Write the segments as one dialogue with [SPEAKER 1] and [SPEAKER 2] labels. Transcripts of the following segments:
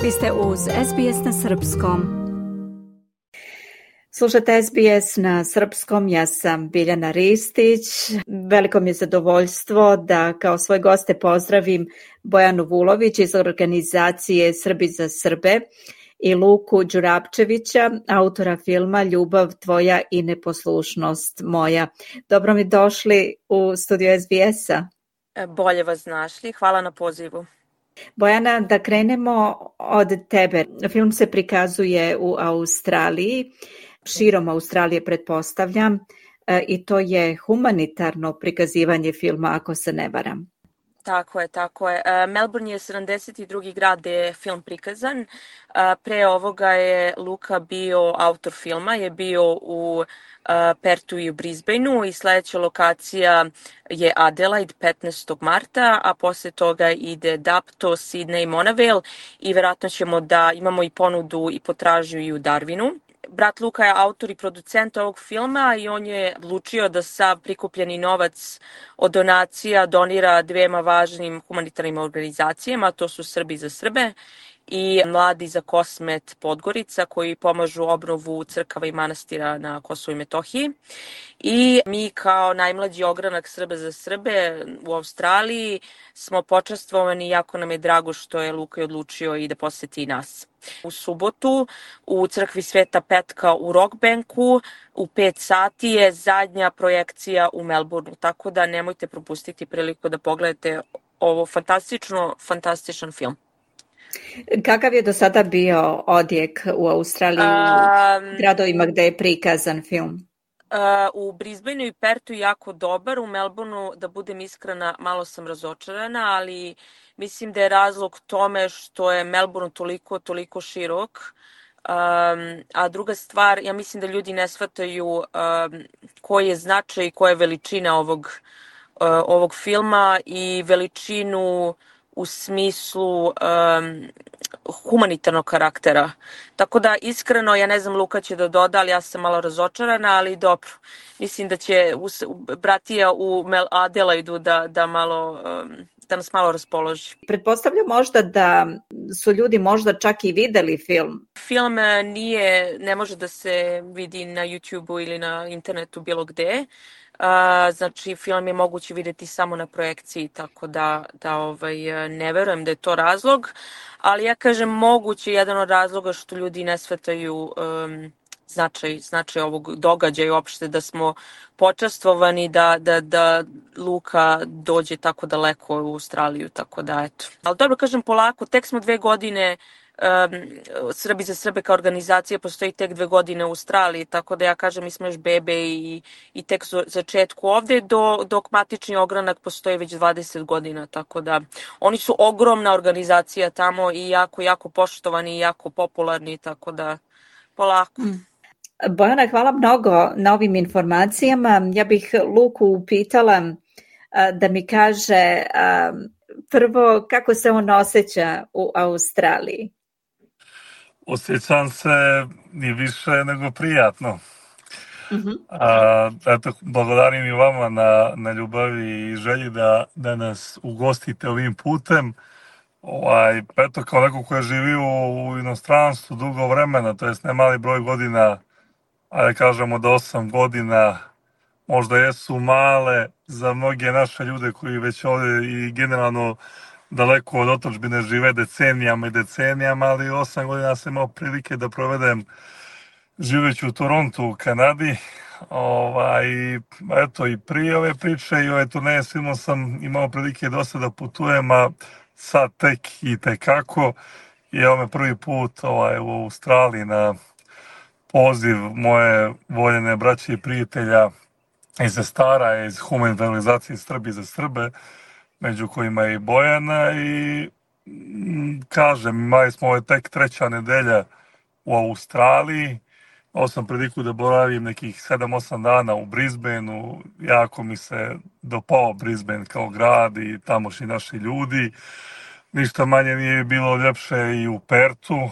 [SPEAKER 1] Vi ste uz SBS na Srpskom. Slušate SBS na Srpskom, ja sam Biljana Ristić. Veliko mi je zadovoljstvo da kao svoje goste pozdravim Bojanu Vulović iz organizacije Srbi za Srbe i Luku Đurapčevića, autora filma Ljubav tvoja i neposlušnost moja. Dobro mi došli u studio SBS-a.
[SPEAKER 2] Bolje vas našli, hvala na pozivu.
[SPEAKER 1] Bojana, da krenemo od tebe. Film se prikazuje u Australiji, širom Australije pretpostavljam, i to je humanitarno prikazivanje filma, ako se ne varam.
[SPEAKER 2] Tako je. Melbourne je 72. grad gde je film prikazan. Pre ovoga je Luka bio autor filma, je bio u Pertu i u Brisbaneu i sledeća lokacija je Adelaide 15. marta, a posle toga ide Dapto, Sydney i Monavale i verovatno ćemo da imamo i ponudu i potražnju i u Darwinu. Brat Luka je autor i producent ovog filma i on je odlučio da sav prikupljeni novac od donacija donira dvema važnim humanitarnim organizacijama, to su Srbi za Srbe i Mladi za Kosmet Podgorica, koji pomažu obnovu crkava i manastira na Kosovu i Metohiji. I mi kao najmlađi ogranak Srba za Srbe u Australiji smo počastvovani i jako nam je drago što je Luka odlučio i da poseti i nas. U subotu u crkvi Sveta Petka u Rockbanku u 5 sati je zadnja projekcija u Melbourneu, tako da nemojte propustiti priliku da pogledate ovo fantastičan film.
[SPEAKER 1] Kakav je do sada bio odjek u Australiji, u gradovima gde je prikazan film?
[SPEAKER 2] U Brisbaneu i Pertu jako dobar, u Melbourneu, da budem iskrena, malo sam razočarana, ali mislim da je razlog tome što je Melbourne toliko širok. A druga stvar, ja mislim da ljudi ne shvataju koji je značaj i koja je veličina ovog filma i veličinu u smislu humanitarnog karaktera. Tako da iskreno, ja ne znam, Luka će da doda, ali ja sam malo razočarana, ali dobro. Mislim da će bratija u Adelaidu da nas malo raspoloži.
[SPEAKER 1] Pretpostavljam možda da su ljudi možda čak i videli film.
[SPEAKER 2] Film ne može da se vidi na YouTube-u ili na internetu bilo gde. Znači film je moguće videti samo na projekciji, tako da ne verujem da je to razlog, ali ja kažem moguće jedan od razloga što ljudi ne shvataju značaj ovog događaja i uopšte da smo počastvovani da Luka dođe tako daleko u Australiju, tako da eto. Ali dobro, kažem polako, tek smo 2 godine, Srbi za Srbe kao organizacija postoji tek 2 godine u Australiji, tako da ja kažem mi smo još bebe i tek začetku ovde, dok matični ogranak postoji već 20 godina, tako da oni su ogromna organizacija tamo i jako poštovani i jako popularni, tako da polako.
[SPEAKER 1] Bojana, hvala mnogo na ovim informacijama. Ja bih Luku upitala da mi kaže prvo kako se on osjeća u Australiji.
[SPEAKER 3] Osjećam se i više nego prijatno. Eto, благодарим i vama na ljubavi i želji da nas ugostite ovim putem. Eto, kao neko ko je živio u inostranstvu dugo vremena, to jest ne mali broj godina, ajde kažemo da 8 godina, možda jesu male za mnoge naše ljude koji već ovdje i generalno daleko od otadžbine žive decenijama, ali 8 godina sam imao prilike da provedem živeći u Torontu u Kanadi. Eto, i prije ove priče i ove turneje svima sam imao prilike dosta da putujem, a sad tek i tekako. I evo me prvi put u Australiji na poziv moje voljene braće i prijatelja iz Stara, iz humanitarne organizacije Srbi za Srbe, među kojima je i Bojana, i kažem, imali smo ovo tek 3. nedelja u Australiji. Ovo sam priliku da boravim nekih 7-8 dana u Brisbaneu, jako mi se dopao Brisbane kao grad i tamošnji naši ljudi. Ništa manje nije bilo ljepše i u Pertu,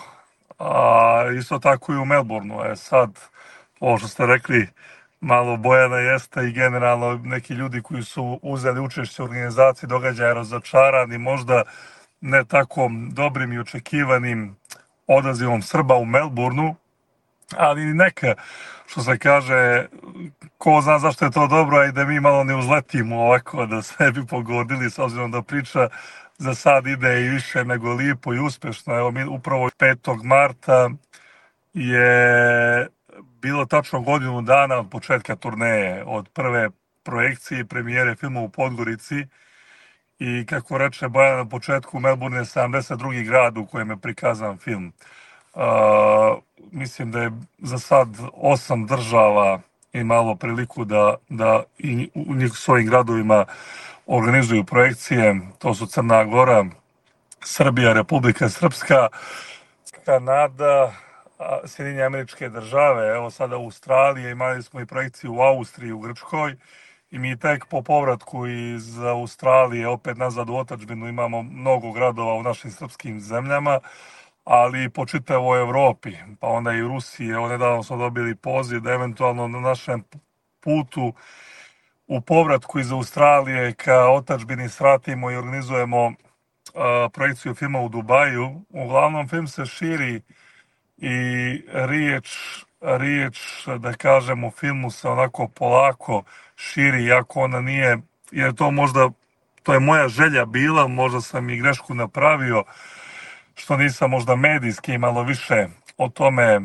[SPEAKER 3] a isto tako i u Melbourneu. Sad, ovo što ste rekli, malo Bojana jeste i generalno neki ljudi koji su uzeli učešće u organizaciji događaja razočarani, možda ne tako dobrim i očekivanim odazivom Srba u Melbourneu, ali neka, što se kaže, ko zna zašto je to dobro, a i da mi malo ne uzletimo ovako, da se ne bi pogodili, s obzirom da priča za sad ide i više nego lipo i uspešno. Evo, mi upravo 5. marta je bilo tačno godinu dana od početka turneje, od prve projekcije i premijere filma u Podgorici. I kako reče Bojan na početku, Melbourne je 72. grad u kojem je prikazan film. Mislim da je za sad 8 država imalo priliku da i u svojim gradovima organizuju projekcije. To su Crna Gora, Srbija, Republika Srpska, Kanada, Sjedinjene Američke Države, evo sada u Australiji, imali smo i projekciju u Austriji, u Grčkoj, i mi tek po povratku iz Australije opet nazad u otadžbinu imamo mnogo gradova u našim srpskim zemljama, ali i po čitavoj Evropi, pa onda i u Rusiji. Evo, nedavno smo dobili poziv da eventualno na našem putu u povratku iz Australije ka otadžbini svratimo i organizujemo projekciju filma u Dubaju. Uglavnom, film se širi i riječ, da kažem, u filmu se onako polako širi, iako ona nije, jer to je moja želja bila, možda sam i grešku napravio, što nisam možda medijski malo više o tome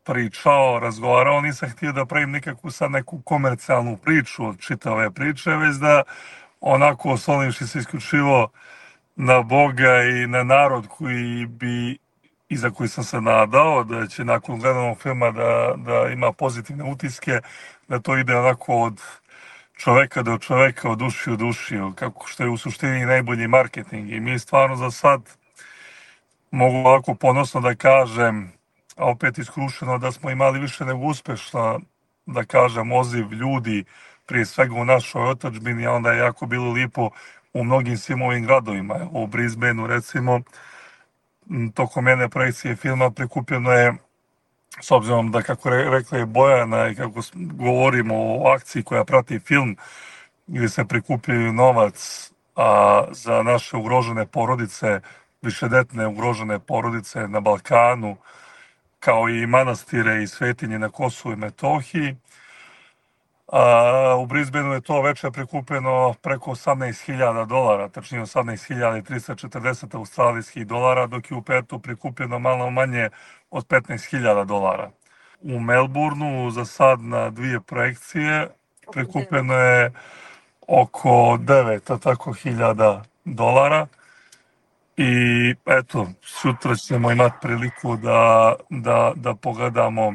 [SPEAKER 3] pričao, razgovarao, nisam htio da pravim nikakvu sad neku komercijalnu priču od čitave priče, već da onako oslonivši se isključivo na Boga i na narod i za koji sam se nadao da će nakon gledanog filma da ima pozitivne utiske, da to ide onako od čoveka do čoveka, od duši u duši, kako što je u suštini najbolji marketing. I mi stvarno za sad mogu ovako ponosno da kažem, a opet iskrušeno, da smo imali više nego uspešno, da kažem, odziv ljudi, prije svega u našoj otadžbini, a onda je jako bilo lipo u mnogim svim ovim gradovima. U Brisbaneu, recimo, tokom jedne projekcije filma prikupljeno je, s obzirom da, kako rekla je Bojana i kako govorimo o akciji koja prati film, gdje se prikupljaju novac za naše ugrožene porodice, višedetne ugrožene porodice na Balkanu, kao i manastire i svetinje na Kosovu i Metohiji. U Brisbaneu je to veče prikupljeno preko $18.000, tačnije $18.340 australijskih dolara, dok je u Pertu prikupljeno malo manje od $15.000. U Melbourneu za sad na 2 projekcije prikupljeno je oko $9.000. I eto, sutra ćemo imati priliku da pogledamo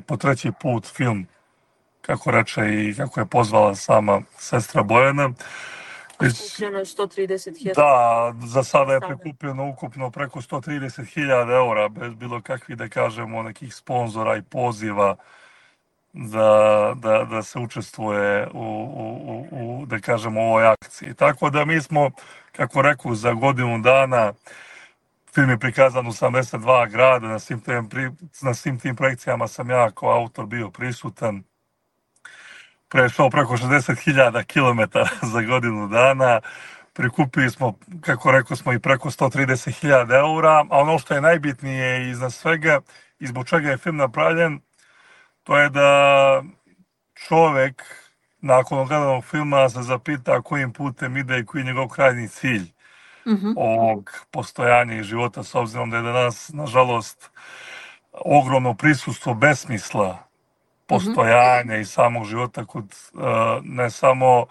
[SPEAKER 3] po 3. put film, kako reče i kako je pozvala sama sestra Bojana.
[SPEAKER 2] Prikupljeno je 130.000.
[SPEAKER 3] Da, za sada je prikupljeno ukupno preko 130.000 eura, bez bilo kakvih, da kažemo, nekih sponzora i poziva da se učestvuje u da kažemo, ovoj akciji. Tako da mi smo, kako reku, za godinu dana, film je prikazan u 72 grada, na svim tim projekcijama sam ja kao autor bio prisutan. Prešao preko 60.000 kilometara za godinu dana, prikupili smo, kako rekao smo, i preko 130.000 eura, a ono što je najbitnije iznad svega i zbog čega je film napravljen, to je da čovek nakon gledanog filma se zapita kojim putem ide i koji je njegov krajnji cilj ovog postojanja i života, s obzirom da je danas, nažalost, ogromno prisustvo besmisla postojanja i samog života kod ne samo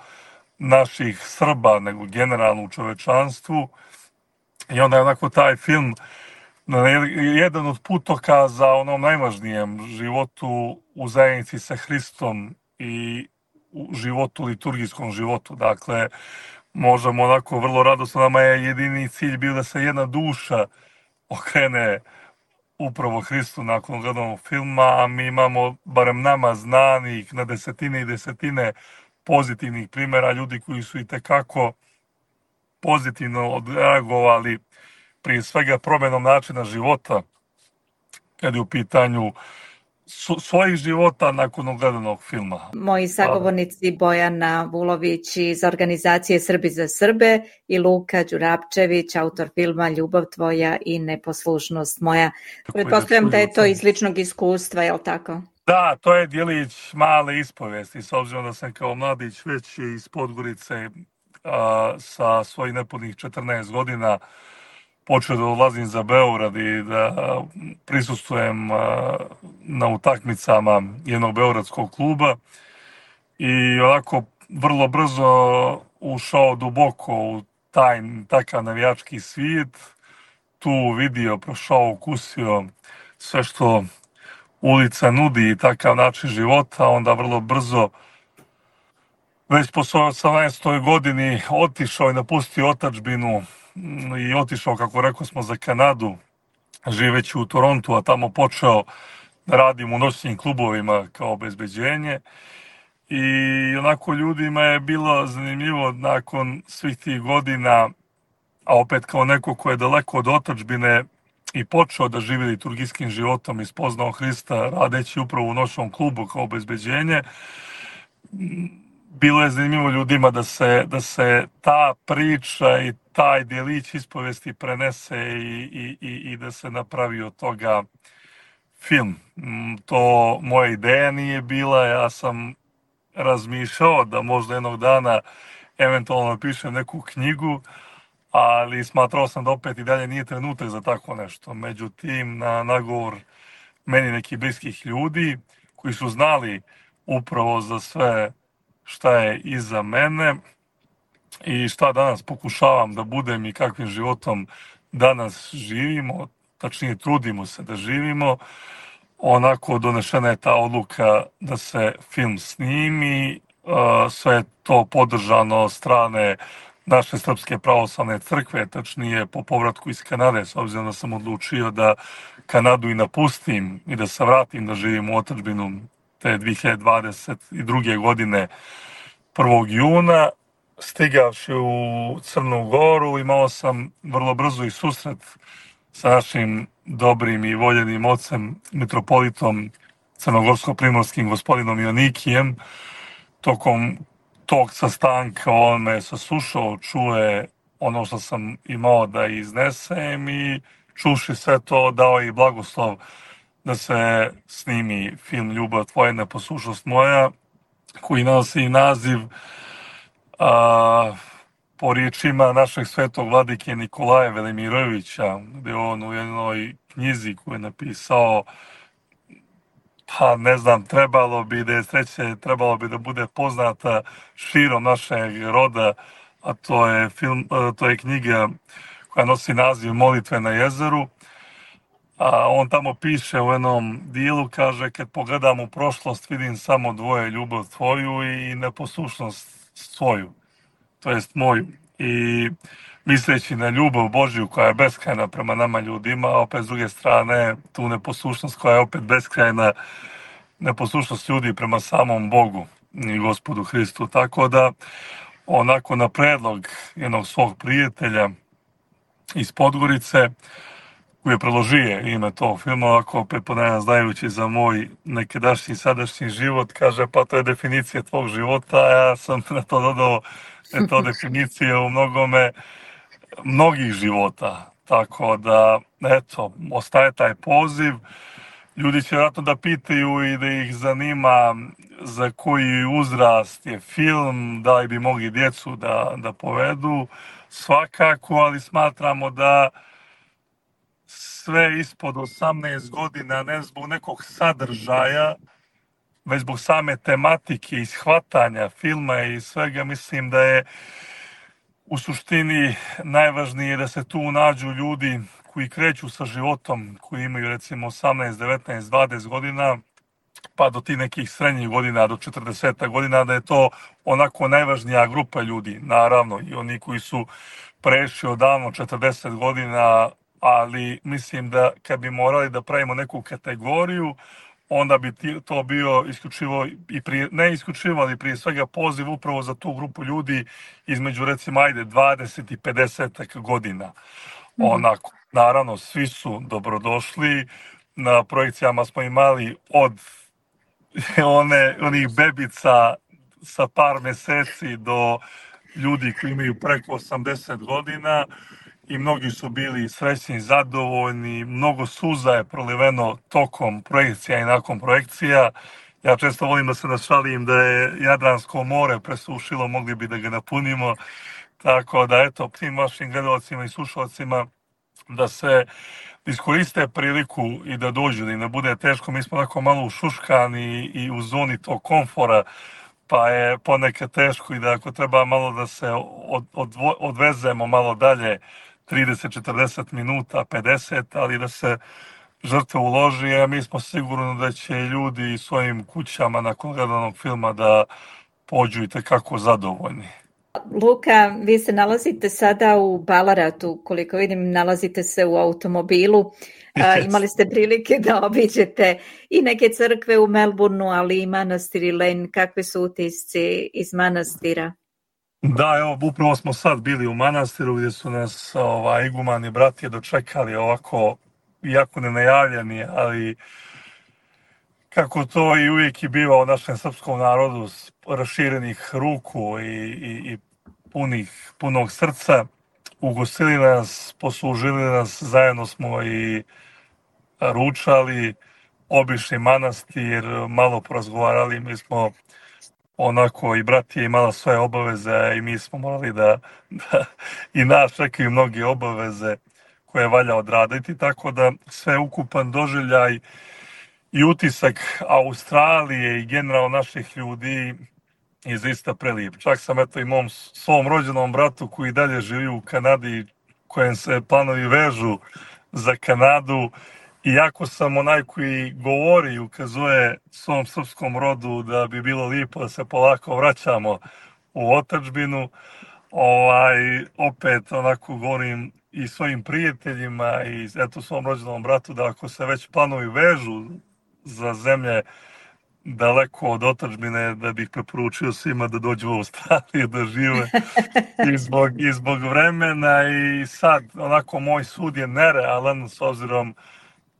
[SPEAKER 3] naših Srba, nego generalno u čovečanstvu. I onda je onako taj film jedan od putokaza onom najvažnijem životu u zajednici sa Hristom i u životu, liturgijskom životu. Dakle, možemo onako vrlo radosno, nama je jedini cilj bio da se jedna duša okrene upravo Hristu nakon gledanog filma, a mi imamo, barem nama znanih, na desetine i desetine pozitivnih primjera ljudi koji su itekako pozitivno odreagovali, prije svega promjenom načina života, kad je u pitanju svojih života nakon ogledanog filma.
[SPEAKER 1] Moji sagovornici Bojana Vulović iz organizacije Srbi za Srbe i Luka Đurapčević, autor filma Ljubav tvoja i neposlušnost moja. Pretpostavljam da je to iz ličnog iskustva, je li tako?
[SPEAKER 3] Da, to je djelić male ispovesti, s obzirom da sam kao mladić već iz Podgorice sa svojih nepunih 14 godina počeo da odlazim za Beograd i da prisustvujem na utakmicama jednog beogradskog kluba i onako vrlo brzo ušao duboko u takav navijački svijet, tu vidio, prošao, ukusio sve što ulica nudi i takav način života, onda vrlo brzo već po svojoj 18. godini otišao i napustio otadžbinu i otišao, kako rekao smo, za Kanadu, živeći u Torontu, a tamo počeo da radim u noćnim klubovima kao obezbeđenje. I onako ljudima je bilo zanimljivo nakon svih tih godina, a opet kao neko ko je daleko od otadžbine i počeo da živi liturgijskim životom i spoznao Hrista radeći upravo u noćnom klubu kao obezbeđenje, bilo je zanimljivo ljudima da se ta priča i taj djelić ispovesti prenese i da se napravi od toga film. To moja ideja nije bila, ja sam razmišljao da možda jednog dana eventualno napišem neku knjigu, ali smatrao sam da opet i dalje nije trenutak za tako nešto. Međutim, na nagovor meni nekih bliskih ljudi koji su znali upravo za sve šta je iza mene i šta danas pokušavam da budem i kakvim životom danas živimo, tačnije trudimo se da živimo, onako donešena je ta odluka da se film snimi, sve je to podržano od strane naše Srpske pravoslavne crkve, tačnije po povratku iz Kanade, s obzirom da sam odlučio da Kanadu i napustim i da se vratim da živim u otadžbinu te 2022. godine 1. juna. Stigavši u Crnu Goru, imao sam vrlo brzo i susret sa našim dobrim i voljenim ocem, mitropolitom crnogorsko-primorskim gospodinom Jonikijem. Tokom tog sastanka on me saslušao, čuje ono što sam imao da iznesem i čuši sve to dao i blagoslov da se snimi film Ljubav tvoja, neposlušnost moja, koji nosi naziv po riječima našeg svetog vladike Nikolaja Velimirovića, gde on u jednoj knjizi koju je napisao, pa ne znam, trebalo bi da bude poznata širom našeg roda, a to je knjiga koja nosi naziv Molitve na jezeru. A on tamo piše u jednom dijelu, kaže, kad pogledam u prošlost vidim samo dvoje, ljubav tvoju i neposlušnost svoju, to jest moju. I misleći na ljubav Božju koja je beskrajna prema nama ljudima, a opet s druge strane tu neposlušnost koja je opet beskrajna, neposlušnost ljudi prema samom Bogu i Gospodu Hristu. Tako da, onako na predlog jednog svog prijatelja iz Podgorice, koji je predložio ime tog filma, ovako opet ponavljam, znajući za moj nekadašnji sadašnji život, kaže, pa to je definicija tvog života, a ja sam na to dodao da je to definicija u mnogih života. Tako da, eto, ostaje taj poziv. Ljudi će vjerojatno da pitaju i da ih zanima za koji uzrast je film, da li bi mogli djecu da povedu, svakako, ali smatramo da sve ispod 18 godina, ne zbog nekog sadržaja, već zbog same tematike i shvatanja filma i svega, mislim da je u suštini najvažnije da se tu nađu ljudi koji kreću sa životom, koji imaju recimo 18, 19, 20 godina, pa do tih nekih srednjih godina, do 40 godina, da je to onako najvažnija grupa ljudi, naravno, i oni koji su prešli odavno 40 godina, ali mislim da kad bi morali da pravimo neku kategoriju, onda bi to bio isključivo, ne isključivo, ali prije svega poziv upravo za tu grupu ljudi između recimo 20 i 50 godina. Onako, naravno, svi su dobrodošli, na projekcijama smo imali od onih bebica sa par meseci do ljudi koji imaju preko 80 godina i mnogi su bili srećni i zadovoljni, mnogo suza je proliveno tokom projekcija i nakon projekcija. Ja često volim da se našalim da je Jadransko more presušilo, mogli bi da ga napunimo, tako da eto, tim vašim gledalcima i slušalcima da se iskoriste priliku i da dođu, da im ne bude teško. Mi smo onako malo ušuškani i u zoni tog komfora, pa je ponekad teško i da ako treba malo da se odvezemo malo dalje, 30-40 minuta, 50, ali da se žrtva uloži, a mi smo sigurni da će ljudi svojim kućama nakon gledanog filma da pođu i tekako zadovoljni.
[SPEAKER 1] Luka, vi se nalazite sada u Balaratu, koliko vidim nalazite se u automobilu. Imali ste prilike da obiđete i neke crkve u Melbourneu, ali i manastir Elaine. Kakve su utisci iz manastira?
[SPEAKER 3] Da, evo, upravo smo sad bili u manastiru gdje su nas igumani bratije dočekali ovako, iako nenajavljeni, ali kako to i uvijek i biva u našem srpskom narodu, raširenih ruku i punog srca, ugostili nas, poslužili nas, zajedno smo i ručali, obišli manastir, malo porazgovarali, mi smo onako i bratije imala svoje obaveze i mi smo morali da i nas čekaju mnoge obaveze koje valja odraditi, tako da sve ukupan doživljaj i utisak Australije i generalno naših ljudi je zaista prelijep. Čak sam eto i svom rođenom bratu koji dalje živi u Kanadi, kojem se planovi vežu za Kanadu, iako sam onaj koji govori i ukazuje svom srpskom rodu da bi bilo lijepo da se polako vraćamo u otadžbinu, opet onako govorim i svojim prijateljima i eto svom rođenom bratu da ako se već planovi vežu za zemlje daleko od otadžbine, da bih preporučio svima da dođu u Australiju da žive i zbog vremena. I sad onako moj sud je nerealan s obzirom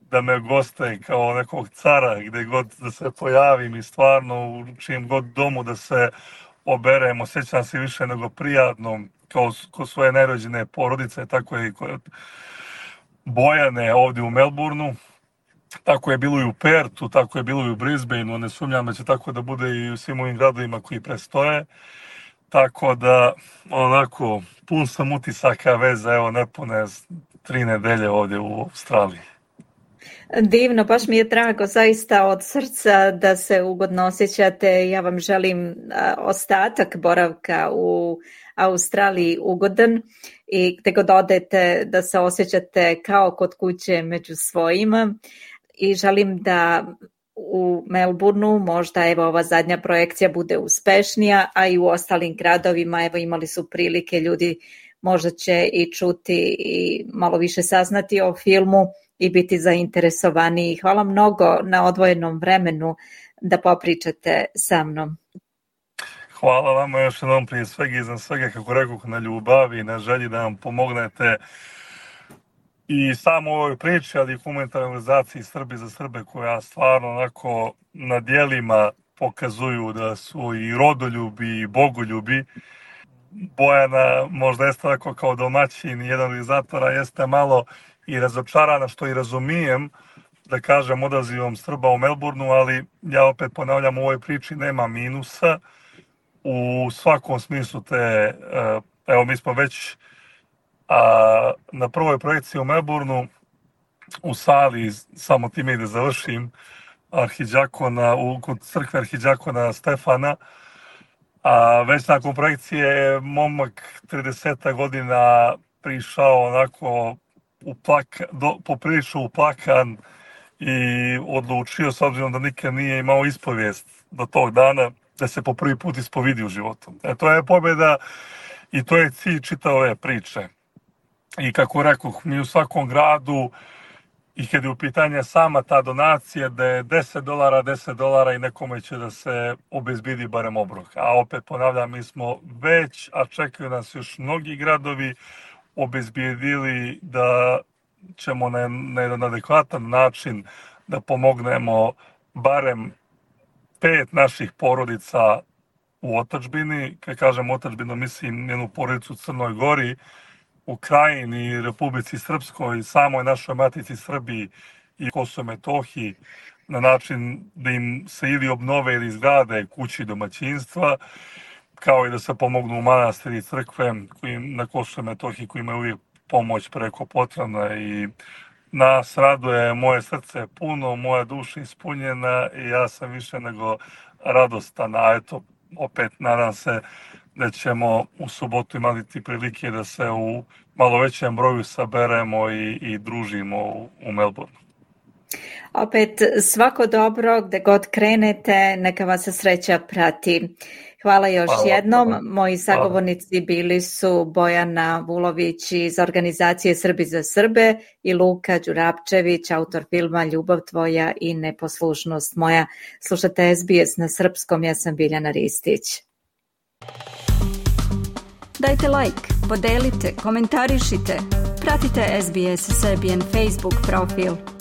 [SPEAKER 3] da me goste kao nekog cara gdje god da se pojavim i stvarno u čijem god domu da se oberem, osjećam se više nego prijatno kao svoje nerođene porodice, tako je i kod Bojane ovdje u Melbourneu. Tako je bilo i u Pertu, tako je bilo i u Brisbaneu, ne sumnjam da će tako da bude i u svim ovim gradovima koji prestoje. Tako da, onako, pun sam utisaka veza, evo, nepune 3 nedelje ovdje u Australiji.
[SPEAKER 1] Divno, baš mi je drago zaista od srca da se ugodno osjećate. Ja vam želim ostatak boravka u Australiji ugodan i gdje god odete da se osjećate kao kod kuće među svojima. I želim da u Melbourneu možda evo ova zadnja projekcija bude uspešnija, a i u ostalim gradovima evo imali su prilike ljudi možda će i čuti i malo više saznati o filmu i biti zainteresovani. Hvala mnogo na odvojenom vremenu da popričate sa mnom.
[SPEAKER 3] Hvala vama još jednom prije svega i za svega, kako rekoh, na ljubavi i na želji da nam pomognete i samo u ovoj priči, ali i humanitarnoj organizaciji Srbi za Srbe, koja stvarno onako na djelima pokazuju da su i rodoljubi i bogoljubi. Bojana možda jeste tako kao domaćin i jedan organizatora, jeste malo i razočarana, što i razumijem, da kažem, odazivom Srba u Melbourneu, ali ja opet ponavljam, u ovoj priči nema minusa. U svakom smislu evo mi smo već na prvoj projekciji u Melbourneu u sali, samo time da završim, kod crkve arhidžakona Stefana, već nakon projekcije je momak 30 godina prišao onako poprilično uplakan i odlučio, s obzirom da nikad nije imao ispovijest do tog dana, da se po prvi put ispovidi u životu. To je pobjeda i to je cilj čitave ove priče. I kako rekoh, mi u svakom gradu, i kad je u pitanje sama ta donacija, da je $10 i nekome će da se obezbedi barem obrok. A opet ponavljam, mi smo već, a čekaju nas još mnogi gradovi, obezbedili da ćemo na jedan adekvatan način da pomognemo barem 5 naših porodica u otadžbini. Kad kažem otadžbinu, mislim njenu porodicu u Crnoj Gori, u Krajini, Republici Srpskoj i samoj našoj matici Srbiji i Kosovo i Metohiji, na način da im se ili obnove ili izgrade kući domaćinstva, kao i da se pomognu u manastiri i crkve na Kosovo i Metohiji koji imaju uvijek pomoć preko potrebna. I nas raduje, moje srce je puno, moja duša ispunjena i ja sam više nego radostan. A eto, opet nadam se da ćemo u subotu imati prilike da se u malo većem broju saberemo i družimo u Melbourneu.
[SPEAKER 1] Opet svako dobro, gde god krenete, neka vas se sreća prati. Hvala još jednom. Moji sagovornici bili su Bojana Vulović iz organizacije Srbi za Srbe i Luka Đurapčević, autor filma Ljubav tvoja i neposlušnost moja. Slušate SBS na srpskom, ja sam Biljana Ristić.
[SPEAKER 4] Dajte like, podelite, komentarišite, pratite SBS Serbian Facebook profil.